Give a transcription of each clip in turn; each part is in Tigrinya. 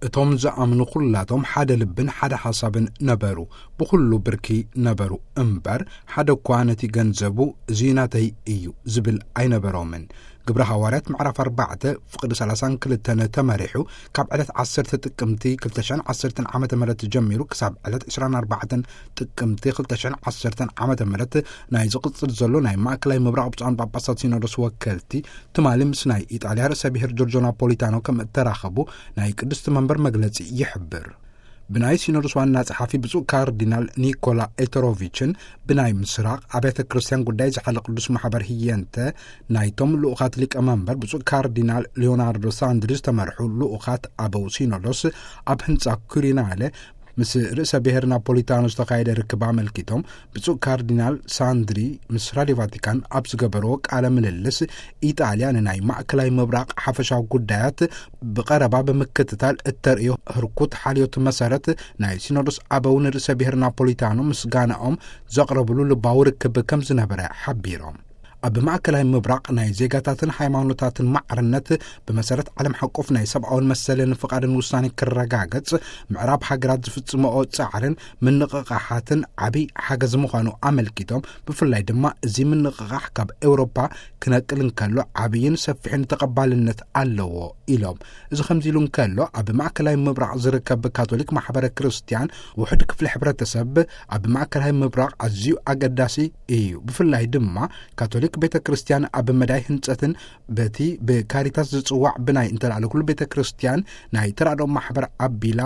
እቶም ዝኣምኑ ኩላቶም ሓደ ልብን ሓደ ሓሳብን ነበሩ፣ ብኹሉ ብርኪ ነበሩ እምበር፣ ሓደ እኳ ነቲ ገንዘቡ እዚ ናተይ እዩ ዝብል ኣይነበሮምን። ግብረ ሃዋርያት ምዕራፍ ኣርባዕተ ፍቕዲ ሰላሳን ክልተን ተመሪሑ፣ ካብ ዕለት ዓሰርተ ጥቅምቲ ክልተ ሽሕን ዓሰርተን ዓመተ ምህረት ጀሚሩ ክሳብ ዕለት ዕስራን ኣርባዕተን ጥቅምቲ ክልተ ሽሕን ዓሰርተን ዓመተ ምህረት ናይ ዝቕጽል ዘሎ ናይ ማእከላይ ምብራቕ ብፁዓን ጳጳሳት ሲኖዶስ ወከልቲ ትማሊ ምስ ናይ ኢጣልያ ርእሰ ብሔር ጆርጆ ናፖሊታኖ ከም እተራኸቡ ናይ ቅድስቲ መንበር መግለጺ ይሕብር። ብናይ ሲኖዶስ ዋና ጸሓፊ ብፁዕ ካርዲናል ኒኮላ ኤተሮቪችን ብናይ ምስራቕ ኣብያተ ክርስቲያን ጉዳይ ዝሓለ ቅዱስ ማሕበር ህየንተ ናይቶም ልኡኻት ሊቀ መንበር ብፁዕ ካርዲናል ሊዮናርዶ ሳንድሪ ዝተመርሑ ልኡኻት ኣበው ሲኖዶስ ኣብ ህንጻ ኩሪናለ ምስ ርእሰ ብሔር ናፖሊታኖ ዝተኻየደ ርክብ ኣመልኪቶም ብፁዕ ካርዲናል ሳንድሪ ምስ ራድዮ ቫቲካን ኣብ ዝገበርዎ ቃለ ምልልስ፣ ኢጣልያ ንናይ ማእከላይ ምብራቕ ሓፈሻዊ ጉዳያት ብቐረባ ብምክትታል እተርእዮ ህርኩት ሓልዮት መሰረት ናይ ሲኖዶስ ኣበው ንርእሰ ብሔር ናፖሊታኖ ምስጋናኦም ዘቕረብሉ ልባዊ ርክብ ከም ዝነበረ ሓቢሮም። ኣብ ማእከላይ ምብራቕ ናይ ዜጋታትን ሃይማኖታትን ማዕርነት ብመሰረት ዓለም ሓቆፍ ናይ ሰብኣውን መሰልን ፍቓድን ውሳኔ ክረጋገጽ ምዕራብ ሃገራት ዝፍጽምኦ ጻዕርን ምንቕቓሓትን ዓቢ ሓገዝ ምዃኑ ኣመልኪቶም፣ ብፍላይ ድማ እዚ ምንቕቓሕ ካብ ኤውሮፓ ክነቅል እንከሎ ዓብይን ሰፊሕን ተቐባልነት ኣለዎ ኢሎም። እዚ ከምዚ ኢሉ እንከሎ፣ ኣብ ማእከላይ ምብራቕ ዝርከብ ካቶሊክ ማሕበረ ክርስቲያን ውሑድ ክፍሊ ሕብረተሰብ ኣብ ማእከላይ ምብራቕ ኣዝዩ ኣገዳሲ እዩ። ብፍላይ ድማ ካቶሊክ ቤተ ክርስቲያን ኣብ መዳይ ህንጸትን በቲ ብካሪታስ ዝጽዋዕ ብናይ እንተላዕለ ኩሉ ቤተ ክርስቲያን ናይ ተራድኦ ማሕበር ኣቢላ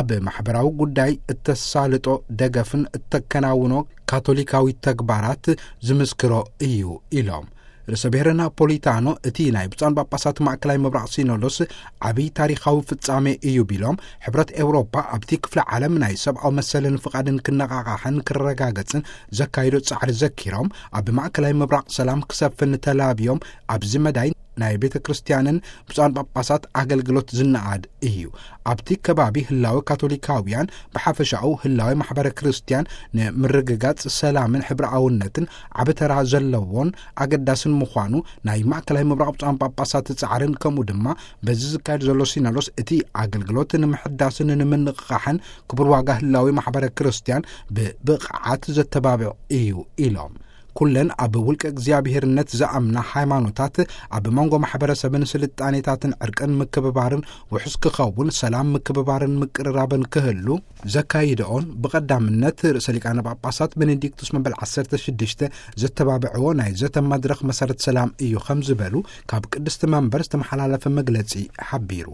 ኣብ ማሕበራዊ ጉዳይ እተሳልጦ ደገፍን እተከናውኖ ካቶሊካዊ ተግባራት ዝምስክሮ እዩ ኢሎም። ርእሰ ብሔር ናፖሊታኖ እቲ ናይ ብፁዓን ጳጳሳት ማእከላይ ምብራቕ ሲኖዶስ ዓብዪ ታሪኻዊ ፍጻሜ እዩ ቢሎም፣ ሕብረት ኤውሮፓ ኣብቲ ክፍለ ዓለም ናይ ሰብኣዊ መሰልን ፍቓድን ክነቓቓሕን ክረጋገጽን ዘካይዶ ጻዕሪ ዘኪሮም፣ ኣብ ማእከላይ ምብራቕ ሰላም ክሰፍን ተላብዮም ኣብዚ መዳይ ናይ ቤተ ክርስቲያንን ብፁዓን ጳጳሳት ኣገልግሎት ዝነኣድ እዩ። ኣብቲ ከባቢ ህላወ ካቶሊካውያን ብሓፈሻኡ ህላወ ማሕበረ ክርስቲያን ንምርግጋጽ ሰላምን ሕብረኣውነትን ዓቢ ተራ ዘለዎን ኣገዳስን ምዃኑ ናይ ማእከላይ ምብራቕ ብፁዓን ጳጳሳት ጻዕርን ከምኡ ድማ በዚ ዝካየድ ዘሎ ሲኖዶስ እቲ ኣገልግሎት ንምሕዳስን ንምንቕቓሕን ክቡር ዋጋ ህላዊ ማሕበረ ክርስቲያን ብብቕዓት ዘተባብዕ እዩ ኢሎም። ኩለን ኣብ ውልቀ እግዚኣብሔርነት ዝኣምና ሃይማኖታት ኣብ መንጎ ማሕበረሰብን ስልጣኔታትን ዕርቅን ምክብባርን ውሑስ ክኸውን ሰላም ምክብባርን ምቅርራብን ክህሉ ዘካይደኦን ብቐዳምነት ርእሰ ሊቃነ ጳጳሳት ቤኔዲክቱስ መበል ዓሰርተ ሽዱሽተ ዘተባብዕዎ ናይ ዘተ መድረኽ መሰረት ሰላም እዩ ከም ዝበሉ ካብ ቅድስቲ መንበር ዝተመሓላለፈ መግለጺ ሓቢሩ።